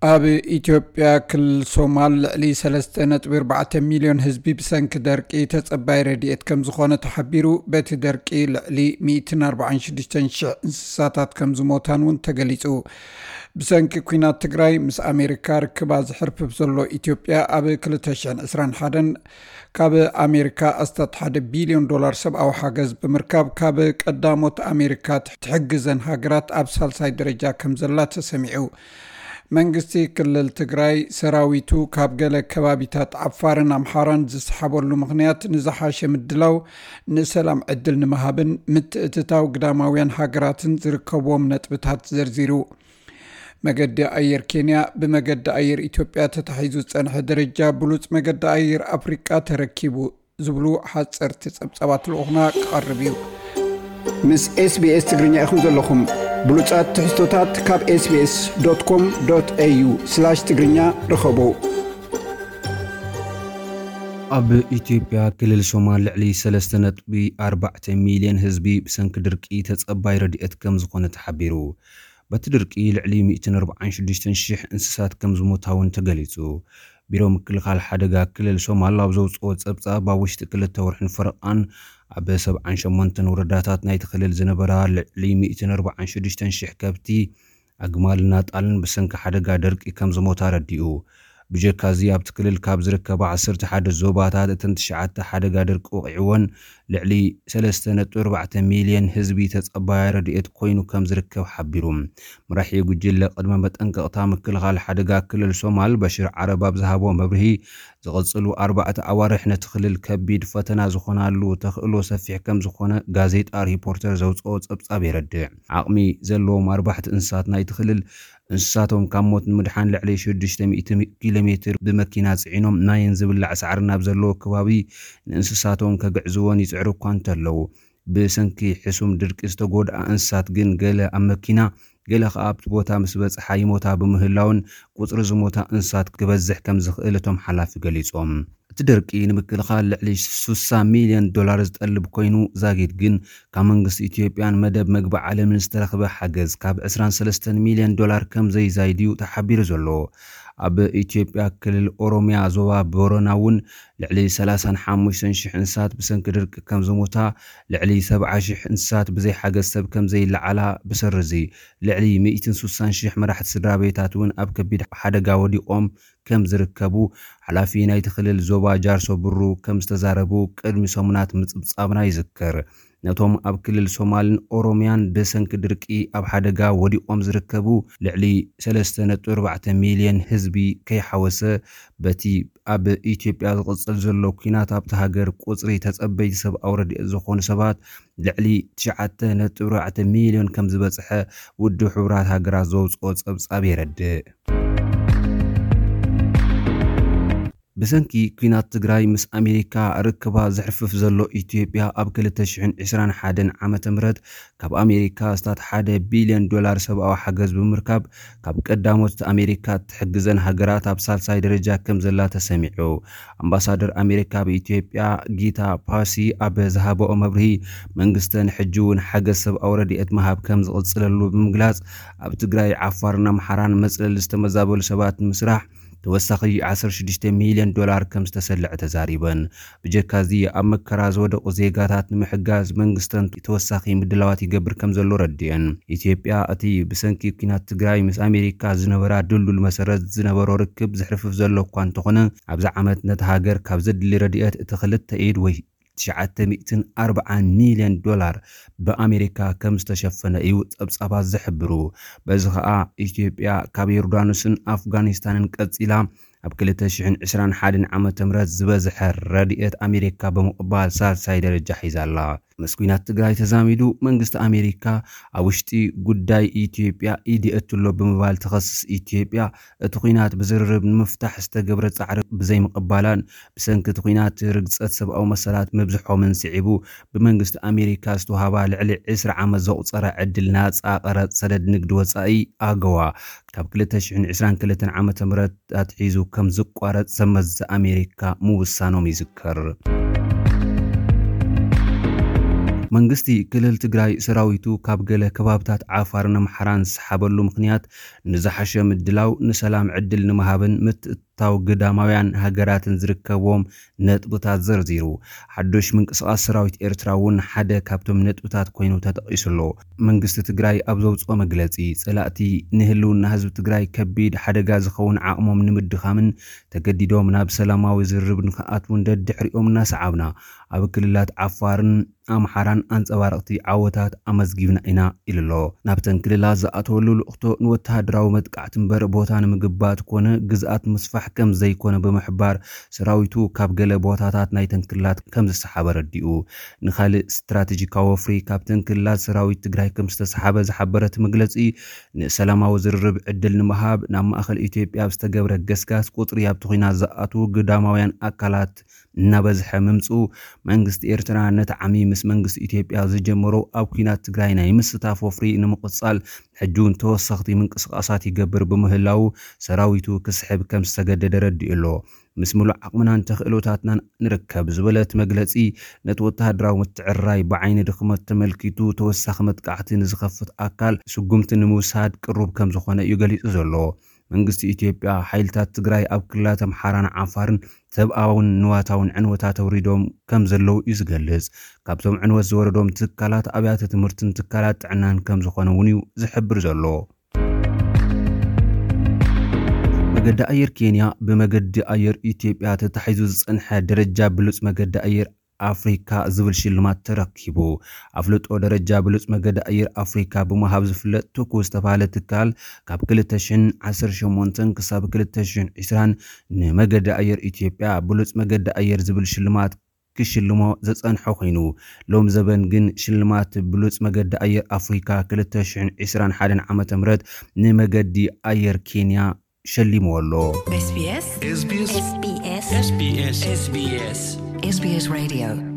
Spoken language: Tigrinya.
ኣብ ኢትዮጵያ ክልል ሶማል ልዕሊ ሰለስተ ነጥቢ ኣርባዕተ ሚልዮን ህዝቢ ብሰንኪ ደርቂ ተጸባይ ረድኤት ከም ዝኾነ ተሓቢሩ። በቲ ደርቂ ልዕሊ ሚእትን ኣርባዓን ሽዱሽተን ሽሕ እንስሳታት ከም ዝሞታን እውን ተገሊጹ። ብሰንኪ ኲናት ትግራይ ምስ ኣሜሪካ ርክባ ዝሕርፍፍ ዘሎ ኢትዮጵያ ኣብ ክልተ ሽሕን ዕስራን ሓደን ካብ ኣሜሪካ ኣስታት ሓደ ቢልዮን ዶላር ሰብኣዊ ሓገዝ ብምርካብ ካብ ቀዳሞት ኣሜሪካ ትሕግዘን ሃገራት ኣብ ሳልሳይ ደረጃ ከም ዘላ ተሰሚዑ። መንግስቲ ክልል ትግራይ ሰራዊቱ ካብ ገለ ከባቢታት ዓፋርን ኣምሓራን ዝሰሓበሉ ምኽንያት ንዝሓሸ ምድላው ንሰላም ዕድል ንምሃብን ምትእትታው ግዳማውያን ሃገራትን ዝርከብዎም ነጥብታት ዘርዚሩ። መገዲ ኣየር ኬንያ ብመገዲ ኣየር ኢትዮጵያ ተታሒዙ ዝጸንሐ ደረጃ ብሉጽ መገዲ ኣየር ኣፍሪቃ ተረኪቡ ዝብሉ ሓጸርቲ ጸብጻባት ልኡኽና ክቐርብ እዩ። ምስ ኤስቢኤስ ትግርኛ ኢኹም ዘለኹም። ብሉጻት ትሕዝቶታት ካብ ኤስቢኤስ ዶት ኮም ዶት ኤዩ ስላሽ ትግርኛ ርኸቡ። ኣብ ኢትዮጵያ ክልል ሶማል ልዕሊ ሰለስተ ነጥቢ ኣርባዕተ ሚልዮን ህዝቢ ብሰንኪ ድርቂ ተጸባይ ረድኤት ከም ዝኾነ ተሓቢሩ። በቲ ድርቂ ልዕሊ ሚእትን ኣርባዓን ሽዱሽተን ሽሕ እንስሳት ከም ዝሞታ እውን ተገሊጹ። ቢሮ ምክልኻል ሓደጋ ክልል ሶማል ኣብ ዘውጽኦ ጸብጻብ ኣብ ውሽጢ ክልተ ወርሕን ፈረቓን ኣብ ሰብዓን ሸሞንተን ወረዳታት ናይቲ ክልል ዝነበራ ልዕሊ ሚእትን ኣርባዓን ሽዱሽተን ሽሕ ከብቲ ኣግማልን ኣጣልን ብሰንኪ ሓደጋ ደርቂ ከም ዝሞታ ኣረዲኡ። ብጀካ እዚ ኣብቲ ክልል ካብ ዝርከባ ዓሰርተ ሓደ ዞባታት እተን ትሽዓተ ሓደጋ ደርቂ ወቒዕወን ልዕሊ ሰለስተ ነጥቢ ኣርባዕተ ሚልዮን ህዝቢ ተጸባያ ረድኤት ኮይኑ ከም ዝርከብ ሓቢሩ። መራሒ ጉጅለ ቅድመ መጠንቀቕታ ምክልኻል ሓደጋ ክልል ሶማል በሽር ዓረብ ኣብ ዝሃቦ መብርሂ ዝቕጽሉ ኣርባዕተ ኣዋርሕ ነቲ ክልል ከቢድ ፈተና ዝኾናሉ ተኽእሎ ሰፊሕ ከም ዝኾነ ጋዜጣ ሪፖርተር ዘውጽኦ ጸብጻብ የረድእ። ዓቕሚ ዘለዎም ኣርባሕቲ እንስሳት ናይቲ ክልል እንስሳቶም ካብ ሞት ንምድሓን ልዕሊ ሽዱሽተ ሚእቲ ኪሎ ሜትር ብመኪና ጽዒኖም ማይን ዝብላዕ ሳዕሪ ናብ ዘለዎ ከባቢ ንእንስሳቶም ከግዕዝዎን ይጽዕሩ እኳ እንተለዉ፣ ብሰንኪ ሕሱም ድርቂ ዝተጎድኣ እንስሳት ግን ገለ ኣብ መኪና ገለ ከኣ ኣብቲ ቦታ ምስ በጽሓ ይሞታ ብምህላውን ቁጽሪ ዝሞታ እንስሳት ክበዝሕ ከም ዝኽእል እቶም ሓላፊ ገሊጾም። እቲ ደርቂ ንምክልኻል ልዕሊ ሱሳ ሚልዮን ዶላር ዝጠልብ ኮይኑ ዛጊድ ግን ካብ መንግስቲ ኢትዮጵያን መደብ መግቢ ዓለምን ዝተረኽበ ሓገዝ ካብ ዕስራን ሰለስተን ሚልዮን ዶላር ከም ዘይዛይድ እዩ ተሓቢሩ ዘሎ። ኣብ ኢትዮጵያ ክልል ኦሮሚያ ዞባ ቦረና እውን ልዕሊ ሰላሳን ሓሙሽተን ሽሕ እንስሳት ብሰንኪ ድርቂ ከም ዝሞታ፣ ልዕሊ ሰብዓ ሽሕ እንስሳት ብዘይ ሓገዝ ሰብ ከም ዘይለዓላ ብሰሪ እዚ ልዕሊ ሚእትን ሱሳን ሽሕ መራሕቲ ስድራ ቤታት እውን ኣብ ከቢድ ሓደጋ ወዲቖም ከም ዝርከቡ ሓላፊ ናይቲ ክልል ዞባ ጃርሶ ብሩ ከም ዝተዛረቡ ቅድሚ ሰሙናት ምጽብጻብና ይዝከር። ነቶም ኣብ ክልል ሶማልን ኦሮሚያን ብሰንኪ ድርቂ ኣብ ሓደጋ ወዲቖም ዝርከቡ ልዕሊ ሰለስተ ነጥቢ ኣርባዕተ ሚልዮን ህዝቢ ከይሓወሰ፣ በቲ ኣብ ኢትዮጵያ ዝቕጽል ዘሎ ኲናት ኣብቲ ሃገር ቁጽሪ ተጸበይቲ ሰብኣዊ ረድኤት ዝኾኑ ሰባት ልዕሊ ትሽዓተ ነጥቢ ኣርባዕተ ሚልዮን ከም ዝበጽሐ ውድብ ሕቡራት ሃገራት ዘውጽኦ ጸብጻብ የረድእ። ብሰንኪ ኲናት ትግራይ ምስ ኣሜሪካ ርክባ ዘሕርፍፍ ዘሎ ኢትዮጵያ ኣብ ክልተ ሽሕን ዕስራን ሓደን ዓመተ ምህረት ካብ ኣሜሪካ ኣስታት ሓደ ቢልዮን ዶላር ሰብኣዊ ሓገዝ ብምርካብ ካብ ቀዳሞት ኣሜሪካ ትሕግዘን ሃገራት ኣብ ሳልሳይ ደረጃ ከም ዘላ ተሰሚዑ። ኣምባሳደር ኣሜሪካ ኣብ ኢትዮጵያ ጊታ ፓሲ ኣብ ዝሃበኦ መብርሂ መንግስተን ሕጂ እውን ሓገዝ ሰብኣዊ ረድኤት ምሃብ ከም ዝቕጽለሉ ብምግላጽ ኣብ ትግራይ ዓፋርን ኣምሓራን መጽለሊ ዝተመዛበሉ ሰባት ንምስራሕ ተወሳኺ ዓሰርተ ሽዱሽተ ሚልዮን ዶላር ከም ዝተሰልዐ ተዛሪበን። ብጀካ እዚ ኣብ መከራ ዝወደቑ ዜጋታት ንምሕጋዝ መንግስተን ተወሳኺ ምድላዋት ይገብር ከም ዘሎ ረድኤን። ኢትዮጵያ እቲ ብሰንኪ ኲናት ትግራይ ምስ ኣሜሪካ ዝነበራ ድልዱል መሰረት ዝነበሮ ርክብ ዝሕርፍፍ ዘሎ እኳ እንተኾነ ኣብዚ ዓመት ነቲ ሃገር ካብ ዘድሊ ረድኤት እቲ ክልተ ኢድ ወይ ትሽዓተ ሚእትን ኣርባዓን ሚልዮን ዶላር ብኣሜሪካ ከም ዝተሸፈነ እዩ ጸብጻባት ዝሕብሩ። በዚ ኸኣ ኢትዮጵያ ካብ ዮርዳኖስን ኣፍጋኒስታንን ቀጺላ ኣብ ክልተ ሽሕን ዕስራን ሓደን ዓመተ ምህረት ዝበዝሐ ረድኤት ኣሜሪካ ብምቕባል ሳልሳይ ደረጃ ሒዛ ኣላ። ምስ ኲናት ትግራይ ተዛሚዱ መንግስቲ ኣሜሪካ ኣብ ውሽጢ ጉዳይ ኢትዮጵያ ኢድ የእቱ ኣሎ ብምባል ትኸስስ ኢትዮጵያ እቲ ኲናት ብዝርርብ ንምፍታሕ ዝተገብረ ጻዕሪ ብዘይምቕባላን ብሰንኪ እቲ ኲናት ርግጸት ሰብኣዊ መሰላት ምብዝሖምን ስዒቡ ብመንግስቲ ኣሜሪካ ዝተውሃባ ልዕሊ ዕስራ ዓመት ዘቑጸረ ዕድል ናጻ ቀረጽ ሰደድ ንግዲ ወጻኢ ኣገዋ ካብ ክልተ ሽሕን ዕስራን ክልተን ዓመተ ምህረት ኣትሒዙ ከም ዝቋረጽ ሰብ መዚ ኣሜሪካ ምውሳኖም ይዝከር። መንግስቲ ክልል ትግራይ ሰራዊቱ ካብ ገለ ከባብታት ዓፋርን ኣምሓራን ዝሰሓበሉ ምኽንያት ንዝሓሸ ምድላው፣ ንሰላም ዕድል ንምሃብን ምትእትታው ግዳማውያን ሃገራትን ዝርከብዎም ነጥብታት ዘርዚሩ። ሓዱሽ ምንቅስቓስ ሰራዊት ኤርትራ እውን ሓደ ካብቶም ነጥብታት ኮይኑ ተጠቒሱ ኣሎ። መንግስቲ ትግራይ ኣብ ዘውፅኦ መግለፂ፣ ፀላእቲ ንህልውና ህዝቢ ትግራይ ከቢድ ሓደጋ ዝኸውን ዓቕሞም ንምድኻምን ተገዲዶም ናብ ሰላማዊ ዝርርብ ንክኣትውን ደድሕሪኦም እናሰዓብና፣ ኣብ ክልላት ዓፋርን ኣምሓራን ኣንጸባረቕቲ ዓወታት ኣመዝጊብና ኢና ኢሉ ኣሎ። ናብተን ክልላት ዝኣተወሉ ልእኽቶ ንወተሃደራዊ መጥቃዕቲ እምበር ቦታ ንምግባት ኮነ ግዝኣት ምስፋሕ ከም ዘይኮነ ብምሕባር፣ ሰራዊቱ ካብ ገለ ቦታታት ናይተን ክልላት ከም ዝሰሓበ ረዲኡ። ንኻልእ ስትራቴጂካዊ ወፍሪ ካብተን ክልላት ሰራዊት ትግራይ ከም ዝተሰሓበ ዝሓበረ እቲ መግለጺ፣ ንሰላማዊ ዝርርብ ዕድል ንምሃብ ናብ ማእከል ኢትዮጵያ ኣብ ዝተገብረ ገስጋስ ቁጽሪ ኣብቲ ኲናት ዝኣትዉ ግዳማውያን ኣካላት እናበዝሐ ምምጽኡ፣ መንግስቲ ኤርትራ ነቲ ዓሚ ምስ መንግስቲ ኢትዮጵያ ዝጀመሮ ኣብ ኲናት ትግራይ ናይ ምስታፍ ወፍሪ ንምቕጻል ሕጂ እውን ተወሰኽቲ ምንቅስቓሳት ይገብር ብምህላዉ ሰራዊቱ ክስሕብ ከም ዝተገደደ ረዲኡ ኣሎ። ምስ ምሉእ ዓቕምናን ተኽእሎታትናን ንርከብ ዝበለ እቲ መግለጺ፣ ነቲ ወተሃደራዊ ምትዕርራይ ብዓይኒ ድኽመት ተመልኪቱ ተወሳኺ መጥቃዕቲ ንዝኸፍት ኣካል ስጉምቲ ንምውሳድ ቅሩብ ከም ዝኾነ እዩ ገሊጹ ዘሎ። መንግስቲ ኢትዮጵያ ሓይልታት ትግራይ ኣብ ክልላት ኣምሓራን ዓፋርን ሰብኣውን ንዋታውን ዕንወታት ኣውሪዶም ከም ዘለዉ እዩ ዝገልጽ። ካብቶም ዕንወት ዝወረዶም ትካላት ኣብያተ ትምህርትን ትካላት ጥዕናን ከም ዝኾነ እውን እዩ ዝሕብር ዘሎ። መገዲ ኣየር ኬንያ ብመገዲ ኣየር ኢትዮጵያ ተታሒዙ ዝጸንሐ ደረጃ ብሉጽ መገዲ ኣየር ኣፍሪካ ዝብል ሽልማት ተረኪቡ። ኣፍልጦ ደረጃ ብሉጽ መገዲ ኣየር ኣፍሪካ ብምሃብ ዝፍለጥ ቱኩ ዝተባህለ ትካል ካብ ክልተ ሽሕን ዓሰርተ ሸሞንተን ክሳብ ክልተ ሽሕን ዕስራን ንመገዲ ኣየር ኢትዮጵያ ብሉጽ መገዲ ኣየር ዝብል ሽልማት ክሽልሞ ዘጸንሖ ኮይኑ፣ ሎም ዘበን ግን ሽልማት ብሉጽ መገዲ ኣየር ኣፍሪካ ክልተ ሽሕን ዕስራን ሓደን ዓመተ ምህረት ንመገዲ ኣየር ኬንያ ሸሊምዎ ኣሎ። SBS SBS SBS SBS SBS Radio